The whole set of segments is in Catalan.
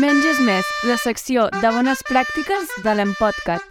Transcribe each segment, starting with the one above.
Menys és més, la secció de bones pràctiques de l'Empodcat.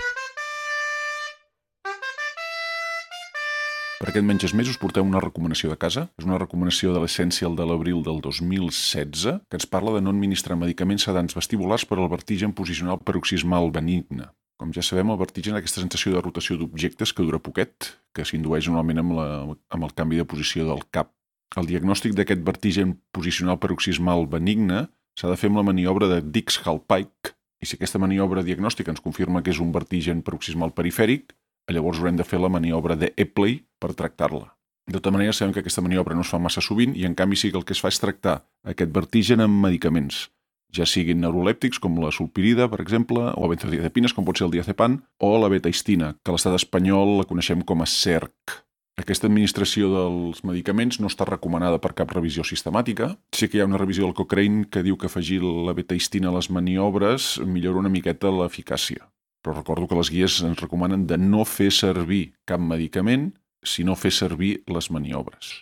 Per aquest Menys és més us portem una recomanació de casa. És una recomanació de l'Essential de l'abril del 2016 que ens parla de no administrar medicaments sedants vestibulars per al vertigen posicional paroxismal benigne. Com ja sabem, el vertigen és aquesta sensació de rotació d'objectes que dura poquet, que s'indueix normalment amb el canvi de posició del cap. El diagnòstic d'aquest vertigen posicional paroxismal benigne s'ha de fer amb la maniobra de Dix-Hallpike, i si aquesta maniobra diagnòstica ens confirma que és un vertigen paroxismal perifèric, llavors haurem de fer la maniobra de Epley per tractar-la. De tota manera, sabem que aquesta maniobra no es fa massa sovint i, en canvi, sí que el que es fa és tractar aquest vertigen amb medicaments, ja siguin neurolèptics com la sulpirida, per exemple, o benzodiazepines, com pot ser el diazepam, o la betaistina, que a l'estat espanyol la coneixem com a SERC. Aquesta administració dels medicaments no està recomanada per cap revisió sistemàtica. Sí que hi ha una revisió del Cochrane que diu que afegir la betaistina a les maniobres millora una miqueta l'eficàcia. Però recordo que les guies ens recomanen de no fer servir cap medicament si no fer servir les maniobres.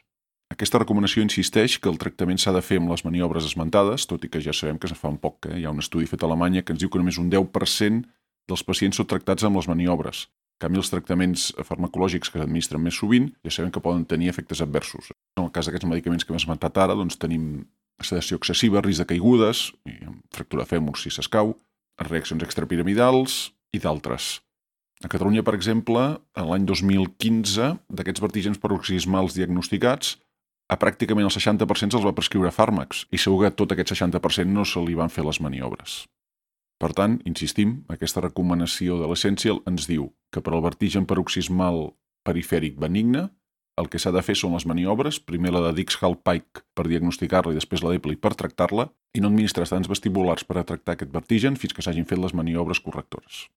Aquesta recomanació insisteix que el tractament s'ha de fer amb les maniobres esmentades, tot i que ja sabem que es fa un poc. Hi ha un estudi fet a Alemanya que ens diu que només un 10% dels pacients són tractats amb les maniobres. En canvi, els tractaments farmacològics que s'administren més sovint ja sabem que poden tenir efectes adversos. En el cas d'aquests medicaments que hem esmentat ara, doncs tenim sedació excessiva, risc de caigudes, fractura de fèmur si s'escau, reaccions extrapiramidals i d'altres. A Catalunya, per exemple, l'any 2015, d'aquests vertigens paroxismals diagnosticats, a pràcticament el 60% se'ls va prescriure fàrmacs i segur que tot aquest 60% no se li van fer les maniobres. Per tant, insistim, aquesta recomanació de l'Essential ens diu que per al vertigen paroxismal perifèric benigne el que s'ha de fer són les maniobres, primer la de Dix-Hallpike per diagnosticar-la i després la d'Epley per tractar-la, i no administrar sedants vestibulars per a tractar aquest vertigen fins que s'hagin fet les maniobres correctores.